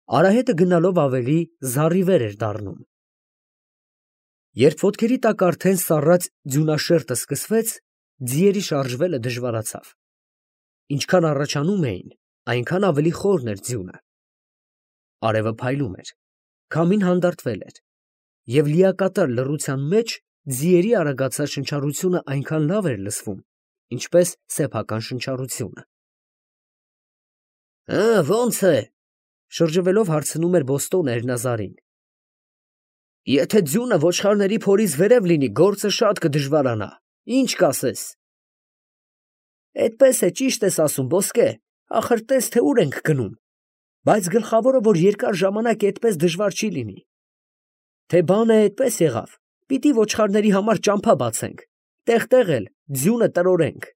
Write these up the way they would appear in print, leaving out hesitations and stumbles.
Արահետը գնալով ավելի զառիվեր էր դառնում։ Երբ ոտքերի տակ արդեն սառած ձյունաշերտը սկսվեց, ձիերի շարժվելը դժվարացավ։ Ինչքան առաջանում էին, այնքան ավելի խորն էր ձյունը։ Արևը փայլում էր, քամին հանդարտվել էր, և լիակատար լռության մեջ ձիերի արագացած շնչառությունը այնքան լավ էր լսվում, ինչպես սեփական շնչառությունը։ Ո՞նց է, շրջվելով հարցնում էր Բոստոնը Էրնազարին։ Եթե ձյունը ոչխարների փորից վերև լինի, գործը շատ կդժվարանա, ինչ կասես։ Էդպես է, ճիշտ ես ասում, ոսկե, ախր տես, թե ուր ենք գնում, բայց գլխավորը, որ երկար ժամանակ էդպես դժվար չի լինի։ Թե բանը էդպես եղավ, պիտի ոչխարների համար ճամփա բացենք, տեղ-տեղ էլ ձյունը տրորենք։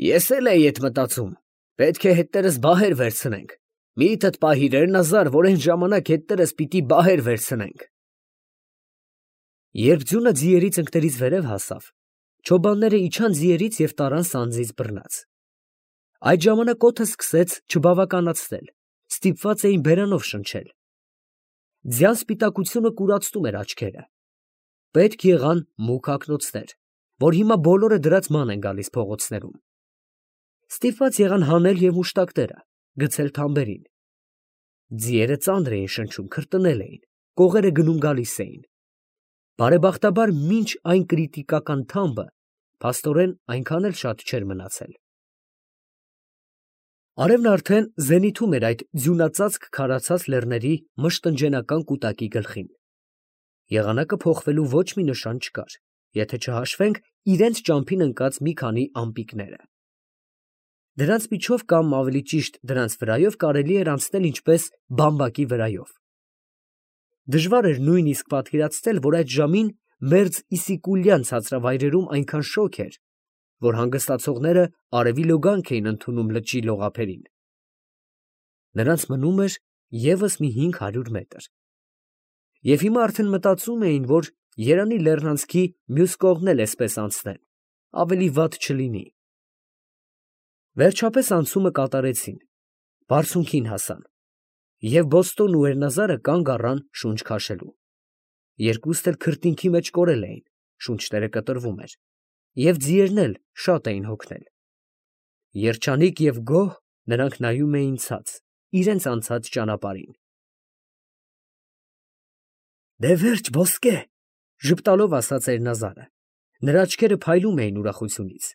Ես էլ էի էդ մտածում, պետք է հետներս բահեր վերցնենք, միտդ պահիր Էրնազար, որ այն ժամանակ հետներս պիտի բահեր վերցնենք։ Երբ ձյունը ձիերի ծնկներից վերև հասավ, չոբանները իջան ձիերից և տարան սանձին բռնած։ Այդ ժամանակ օդը սկսեց չբավականացնել, ստիպված էին բերանով շնչել։ Ձյան սպիտակությունը կուրացնում էր աչքերը։ Պետք եղան մուգ ակնոցներ, որ հիմա բոլորը դրած ման են գալիս փողոցներում։ Ստիպված եղան հանել և մուշտակները, գցել թամբերին։ Ձիերը ծանր էին շնչում, քրտնել էին, կողերը գնում֊գալիս էին։ Բարեբախտաբար մինչ այն կրիտիկական թամբը փաստորեն այնքան էլ շատ չէր մնացել։ Արևն արդեն զենիթում էր այդ ձյունածածկ քարացած լեռների մշտնջենական կուտակի գլխին։ Եղանակը փոխվելու ոչ մի նշան չկար, եթե չհաշվենք իրենց ճամփին ընկած մի քանի ամպիկները։ Դրանց միջով կամ ավելի ճիշտ դրանց վրայով կարելի էր անցնել ինչպես բամբակի վրայով։ Դժվար էր նույնիսկ պատկերացնել, որ այդ ժամին մերձ Իսիկուլյան ցածրավայրերում այնքան շոգ էր, որ հանգստացողները արևի լոգանք էին ընդունում լճի լողափերին։ Նրանց մնում էր ևս մի 500 մետր։ Եվ հիմա արդեն մտածում էին, որ երանի լեռնանցքի մյուս կողմն էլ էսպես անցնեն, ավելի վատ չլինի։ Վերջապես անցումը կատարեցին, բարձունքին հասան, և Բոստոնն ու Էրնազարը կանգ առան շունչ քաշելու։ Երկուստ էլ քրտինքի մեջ կորել էին, շունչները կտրվում էր, և ձիերն էլ շատ էին հոգնել։ Երջանիկ և գոհ նրանք նայում էին ցած, իրենց անցած ճանապարհին։ Դե վերջ, ոսկե, ժպտալով ասաց Էրնազարը, նրա աչքերը փայլում էին ուրախությունից։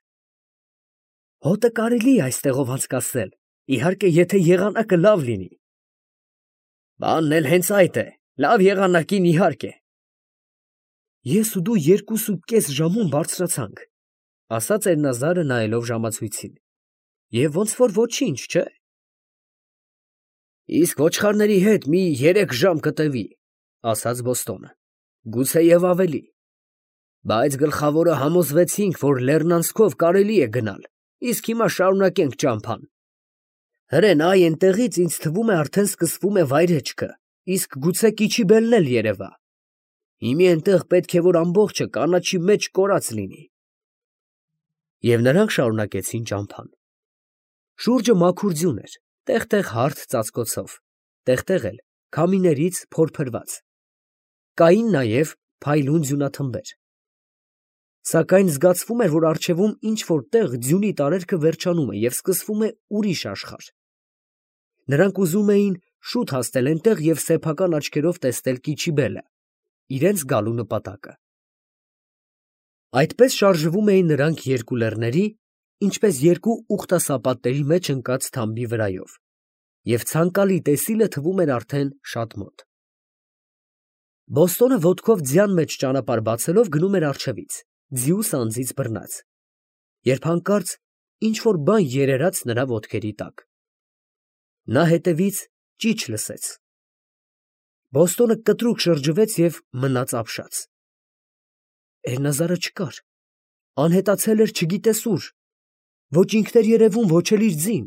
Հոտը կարելի է այստեղով անցկացնել, իհարկե, եթե եղանակը լավ լինի։ Բանն էլ հենց այդ է, լավ եղանակին իհարկե։ Ես ու դու 2.5 ժամում բարձրացանք, ասաց Էրնազարը նայելով ժամացույցին, և ոնց որ ոչինչ, չէ։ Իսկ ոչխարների հետ մի 3 ժամ կտևի, ասաց Բոստոնը, գուցեև ավելի։ Բայց գլխավորը համոզվեցինք, որ լեռնանցքով կարելի է գնալ, իսկ հիմա շարունակենք ճամփան։ Հրեն, այ այնտեղից ինձ թվում է արդեն սկսվում է վայրեջքը, իսկ գուցե Կիչիբելն էլ երևա։ Հիմա այնտեղ պետք է որ ամբողջը կանաչի մեջ կորած լինի։ Եվ նրանք շարունակեցին ճամփան։ Շուրջը մաքուր ձյուն էր, տեղ֊տեղ հարթ ծածկոցով, տեղ֊տեղ էլ քամիներից փորփրված։ Կային նաև փայլուն ձյունաթմբեր։ Սակայն զգացվում էր, որ առջևում ինչ֊որ տեղ ձյունի տարերքը վերջանում է և սկսվում է ուրիշ աշխարհ։ Նրանք ուզում էին շուտ հասնել այնտեղ և սեփական աչքերով տեսնել Կիչիբելը, իրենց գալու նպատակը։ Այդպես շարժվում էին նրանք երկու լեռների, ինչպես երկու ուխտասապատների մեջ ընկած թամբի վրայով, և ցանկալի տեսիլը թվում էր արդեն շատ մոտ։ Բոստոնը ոտքով ձյան մեջ ճանապարհ բացելով գնում էր առջևից, ձիու սանձից բռնած, երբ հանկարծ ինչ֊որ բան երերաց նրա ոտքերի տակ։ Նա հետևից ճիչ լսեց։ Բոստոնը կտրուկ շրջվեց և մնաց ապշած։ Էրնազարը չկար, անհետացել էր չգիտես ուր, ոչ ինքն էր երևում, ոչ էլ իր ձին։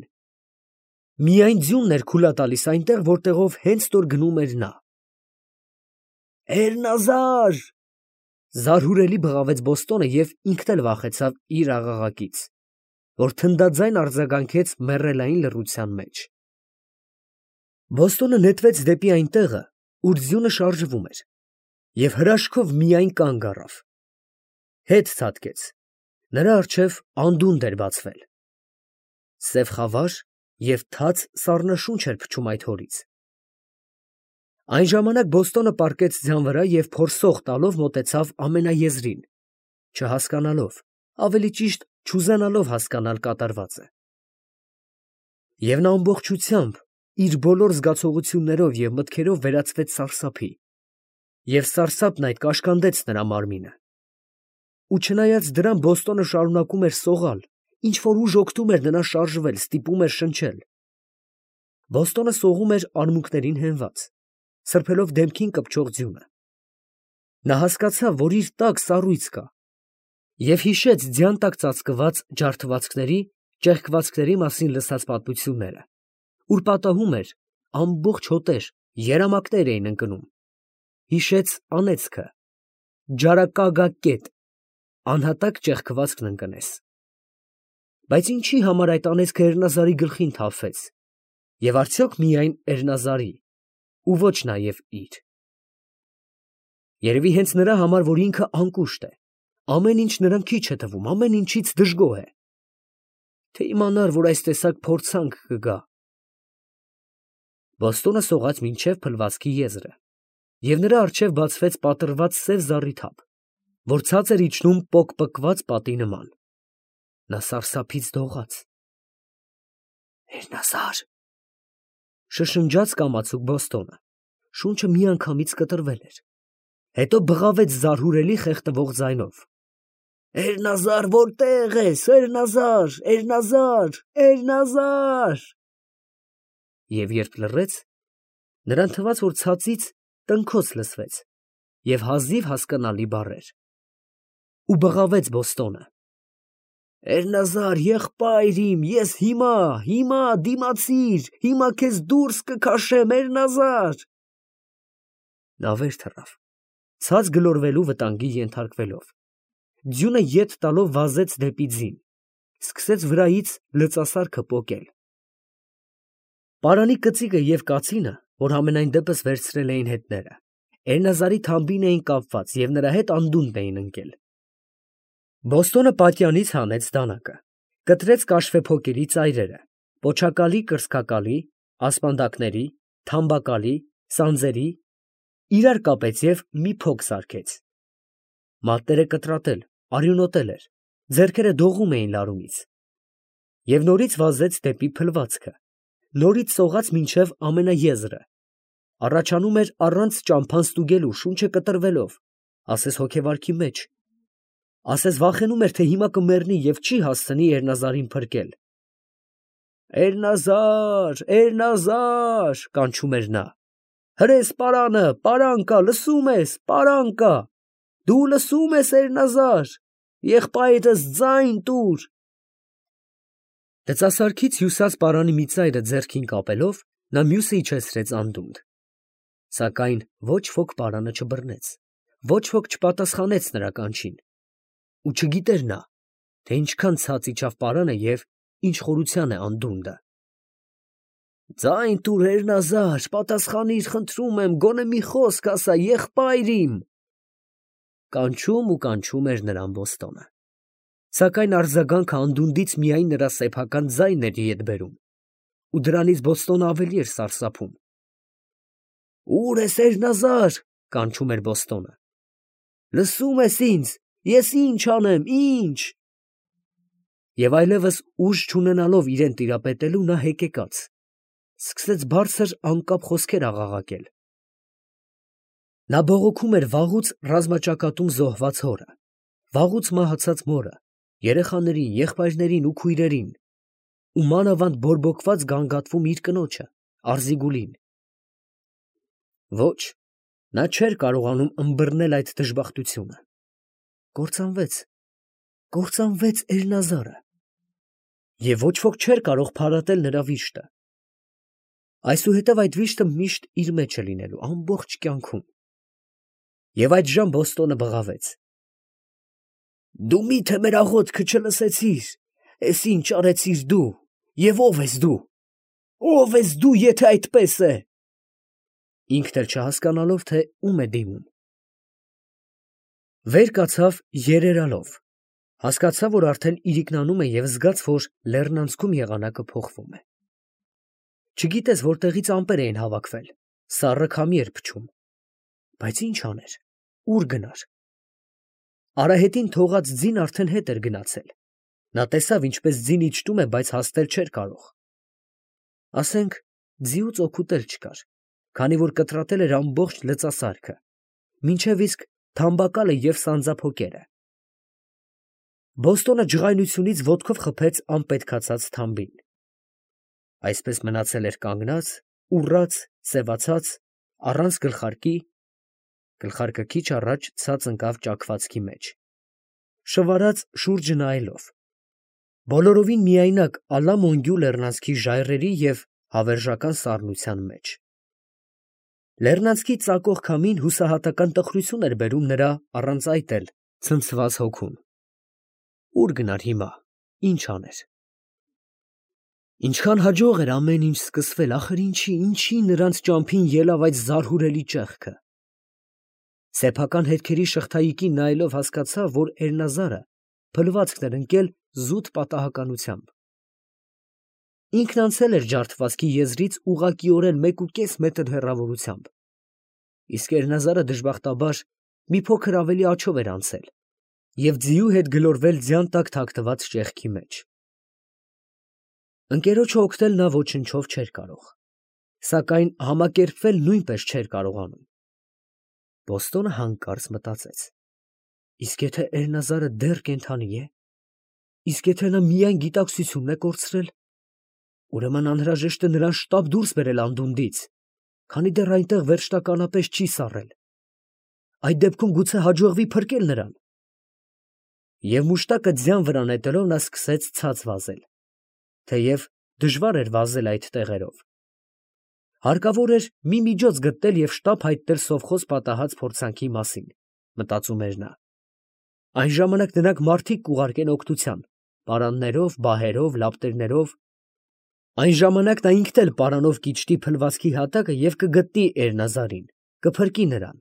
Միայն ձյունն էր քուլա տալիս այնտեղ, որտեղով հենց նոր գնում էր նա։ Էրնազար… Զարհուրելի բղավեց Բոստոնը և ինքն էլ վախեցավ իր աղաղակից, որ թնդաձայն արձագանքեց մեռելային լռության մեջ։ Բոստոնը նետվեց դեպի այն տեղը, ուր ձյունը շարժվում էր, և հրաշքով միայն կանգ առավ. հետ ցատկեց, նրա առջև անդունդ էր բացվել. սև խավար և թաց սառնաշունչ էր փչում այդ հորից։ Այն ժամանակ Բոստոնը պառկեց ձյան վրա և փորսող տալով մոտեցավ ամենաեզրին, չհասկանալով, ավելի ճիշտ չուզենալով հասկանալ կատարվածը։ Եվ նա ամբողջությամբ իր բոլոր զգացողություններով և մտքերով վերածվեց սարսափի, և սարսափն այդ կաշկանդեց նրա մարմինը։ Ու չնայած դրան Բոստոնը շարունակում էր սողալ, ինչ֊որ ուժ օգնում էր նրան շարժվել, ստիպում էր շնչել։ Բոստոնը սողում էր արմունկներին հենված, սրբելով դեմքին կպչող ձյունը։ Նա հասկացավ, որ իր տակ սառույց կա, և հիշեց ձյան տակ ծածկված ջարդվածքների, ճեղքվածքների մասին լսած պատմությունները, ուր պատահում էր ամբողջ հոտեր, երամակներ էին ընկնում, հիշեց անեծքը, ջարակագակետ, անհատակ ճեղքվածքն ընկնես։ Բայց ինչի համար այդ անեծքը Էրնազարի գլխին թափվեց, և արդյոք միայն Էրնազարի, ու ոչ նաև իր։ Երևի հենց նրա համար, որ ինքը անկուշտ է, ամեն ինչ նրան քիչ է թվում, ամեն ինչից դժգոհ է։ Թե իմանար, որ այս տեսակ փորձանք կգա։ Բոստոնը սողաց մինչև փլվածքի եզրը, և նրա առջև բացվեց պատռված սև զառի թափ, որ ցած էր իջնում պոկպկված պատի նման։ Նա սարսափից դողաց։ «Էրնազար», շշնջաց կամացուկ Բոստոնը, շունչը միանգամից կտրվել էր, հետո բղավեց զարհուրելի խեղդվող ձայնով. «Էրնազար, որտե՞ղ ես, Էրնազար, Էրնազար, Էրնազար»։ Եվ երբ լռեց, նրան թվաց, որ ցածից տնքոց լսվեց և հազիվ հասկանալի բառեր։ Ու բղավեց Բոստոնը. «Էրնազար, եղբայր իմ, ես հիմա դիմացիր, հիմա քեզ դուրս կքաշեմ, Էրնազար»։ Նա վեր թռավ, ցած գլորվելու վտանգի ենթարկվելով, ձյունը ետ տալով վազեց դեպի ձին, սկսեց վրայից լծասարքը պոկել։ Պարանի կծիկը և կացինը, որ համենայն դեպս վերցրել էին հետները, Էրնազարի թամբին էին կապված և նրա հետ անդունդն էին ընկել։ Բոստոնը պատյանից հանեց դանակը, կտրեց կաշվեփոկերի ծայրերը, պոչակալի, կրծքակալի, ասպանդակների, թամբակալի, սանձերի, իրար կապեց և մի փոք սարքեց։ Մատները կտրատել, արյունոտել էր, ձեռքերը դողում էին լարումից։ Եվ նորից վազեց դեպի փլվածքը, նորից սողաց մինչև ամենաեզրը, առաջանում էր առանց ճամփան ստուգելու, շունչը կտրվելով, ասես հոգեվարքի մեջ, ասես վախենում էր, թե հիմա կմեռնի և չի հասցնի Էրնազարին փրկել։ «Էրնազար, Էրնազար», կանչում էր նա, «հրես պարանը, պարան կա, լսում ես, պարան կա, դու լսում ես, Էրնազար, եղբայրս ձայն տուր»։ Լծասարքից հյուսած պարանի մի ծայրը ձեռքին կապելով, նա մյուսը իջեցրեց անդունդ։ Սակայն ոչ ոք պարանը չբռնեց, ոչ ոք չպատասխանեց նրա կանչին, ու չգիտեր նա, թե ինչքան ցած իջավ պարանը և ինչ խորության է անդունդը։ «Ձայն տուր, Էրնազար, պատասխանիր, խնդրում եմ, գոնե մի խոսք ասա, եղբայր իմ», կանչում ու կանչում էր նրան Բոստոնը։ Սակայն արձագանքը անդունդից միայն նրա սեփական ձայնն էր ետ բերում, ու դրանից Բոստոնը ավելի էր սարսափում։ «Ո՞ւր ես, Էրնազար», կանչում էր Բոստոնը։ «Լսում ես ինձ, ես ինչ անեմ, ինչ»։ Եվ այլևս ուժ չունենալով իրեն տիրապետելու, նա հեկեկաց, սկսեց բարձր անկապ խոսքեր աղաղակել։ Նա բողոքում էր վաղուց ռազմաճակատում զոհված հորը, վաղուց մահացած մորը, երեխաներին, եղբայրներին ու քույրերին, ու մանավանդ բորբոքված գանգատվում իր կնոջը, Արզիգուլին։ Ոչ, նա չէր կարողանում ըմբռնել այդ դժբախտությունը։ Կործանվեց Էրնազարը, և ոչ ոք չէր կարող փարատել նրա վիշտը։ Այսուհետև այդ վիշտը միշտ իր մեջ է լինելու, ամբողջ կյանքում։ Եվ այդժամ Բոստոնը բղավեց. «Դու մի՞թե մեր աղոթքը չլսեցիր, էս ինչ արեցիր դու, և ո՞վ ես դու, ո՞վ ես դու, եթե այդպես է»։ ինքն էլ չհասկանալով, թե ում է դիմում։ Վեր կացավ երերալով, հասկացավ, որ արդեն իրիկնանում է և զգաց, որ լեռնանցքում եղանակը փոխվում է։ Չգիտես որտեղից ամպեր էին հավաքվել, սառը քամի էր փչում, բայց ինչ աներ, ուր գնար։ Արահետին թողած ձին արդեն հետ էր գնացել, նա տեսավ, ինչպես ձին իջնում է, բայց հասնել չէր կարող։ Ասենք, ձիուց օգուտ էլ չկար, քանի որ կտրատել էր ամբողջ լծասարքը, մինչև իսկ թամբակալը և սանձափոկերը։ Բոստոնը ջղայնությունից ոտքով խփեց անպետքացած թամբին։ Այսպես մնացել էր կանգնած, ուռած, սևացած, առանց գլխարկի, գլխարկը քիչ առաջ ցած ընկավ ճաքվածքի մեջ, շվարած շուրջը նայելով, բոլորովին միայնակ Ալամոնգյու լեռնանցքի ժայռերի և հավերժական սառնության մեջ։ Լեռնանցքի ծակող քամին հուսահատական տխրություն էր բերում նրա առանց այդ էլ ցնցված հոգուն։ Ուր գնար հիմա, ինչ աներ։ Ինչքան հաջող էր ամեն ինչ սկսվել, ախր ինչի նրանց ճամփին ելավ այդ զարհուրելի ճեղքը։ Սեփական հետքերի շղթայիկին նայելով հասկացավ, որ Էրնազարը փլվածքն էր ընկել զուտ պատահականությամբ։ Ինքն անցել էր ջարդվածքի եզրից ուղղակիորեն 1.5 մետր հեռավորությամբ, իսկ Էրնազարը դժբախտաբար մի փոքր ավելի աջով էր անցել և ձիու հետ գլորվել ձյան տակ թաքնված ճեղքի մեջ։ Ընկերոջը օգնել նա ոչնչով չէր կարող, սակայն համակերպվել նույնպես չէր կարողանում։ Բոստոնը հանկարծ մտածեց. իսկ եթե Էրնազարը դեռ կենդանի է, իսկ եթե նա միայն գիտակցությունն է կորցրել, ուրեմն անհրաժեշտ է նրան շտապ դուրս բերել անդունդից, քանի դեռ այնտեղ վերջնականապես չի սառել։ Այդ դեպքում գուցե հաջողվի փրկել նրան։ Եվ մուշտակը ձյան վրա նետելով նա սկսեց ցած վազել, թեև դժվար էր վազել այդ տեղերով։ Հարկավոր էր մի միջոց գտնել և շտապ հայտնել սովխոզ պատահած փորձանքի մասին, մտածում էր նա։ Այն ժամանակ նրանք մարդիկ կուղարկեն օգնության, պարաններով, բահերով, լապտերներով։ Այն ժամանակ նա ինքն էլ պարանով կիջնի փլվածքի հատակը և կգտնի Էրնազարին, կփրկի նրան։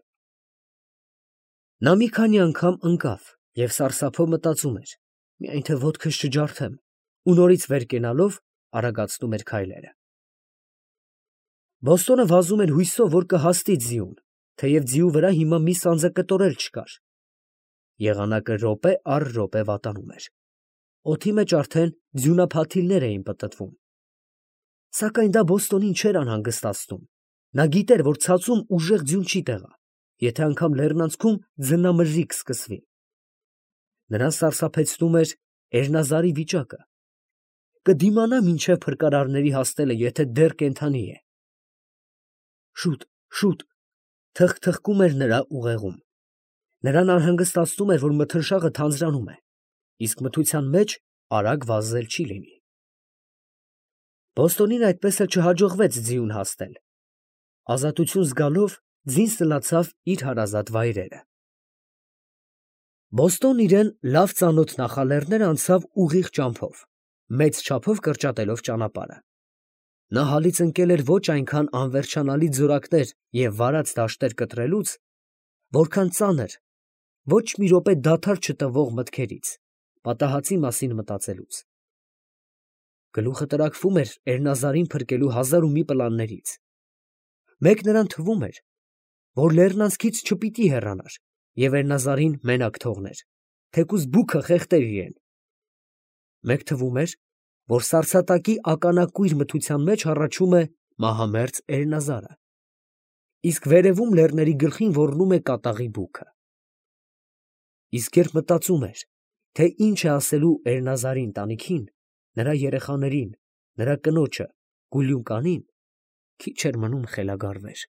Նա մի քանի անգամ ընկավ և սարսափով մտածում էր. միայն թե ոտքս չջարդեմ, ու նորից վեր կենալով արագացնում էր քայլերը։ Բոստոնը վազում էր հույսով, որ կհասնի ձիուն, թեև ձիու վրա հիմա մի սանձակտոր էլ չկար։ Եղանակը րոպե առ րոպե վատանում էր։ Օդի մեջ արդեն ձյունափաթիլներ էին պտտվում։ Սակայն դա Բոստոնին չէր անհանգստացնում։ Նա գիտեր, որ ցածում ուժեղ ձյուն չի տեղա, եթե անգամ լեռնանցքում ձնամրրիկ սկսվի։ Նրան սարսափեցնում էր Էրնազարի վիճակը։ Կդիմանա մինչև փրկարարների հասնելը, եթե դեռ կենդանի է։ Շուտ, շուտ, թխկթխկում էր նրա ուղեղում։ Նրան անհանգստացնում էր, որ մթնշաղը թանձրանում է, իսկ մթության մեջ արագ վազել չի լինի։ Բոստոնին այդպես էլ չհաջողվեց ձիուն հասնել։ Ազատություն զգալով ձին սլացավ իր հարազատ վայրերը։ Բոստոնն իրան լավ ծանոթ նախալեռներ անցավ ուղիղ ճամփով, մեծ չափով կրճատելով ճանապարհը։ Նա հալից ընկել էր ոչ այնքան անվերջանալի ձորակներ և վարած դաշտեր կտրելուց, որքան ծանր, ոչ մի րոպե դադար չտվող մտքերից, պատահածի մասին մտածելուց։ Գլուխը տրաքվում էր Էրնազարին փրկելու հազար ու մի պլաններից։ Մեկ նրան թվում էր, որ լեռնանցքից չպիտի հեռանար և Էրնազարին մենակ թողներ, թեկուզ բուքը խեղդեր իրեն։ Մեկ թվում էր, որ սառցատակի ականակույր մթության մեջ հառաչում է մահամերձ Էրնազարը, իսկ վերևում լեռների գլխին ոռնում է կատաղի բուքը։ Իսկ երբ մտածում էր, թե ինչ է ասելու Էրնազարի ընտանիքին, նրա երեխաներին, նրա կնոջը, Գուլյունկանին, քիչ էր մնում խելագարվեր։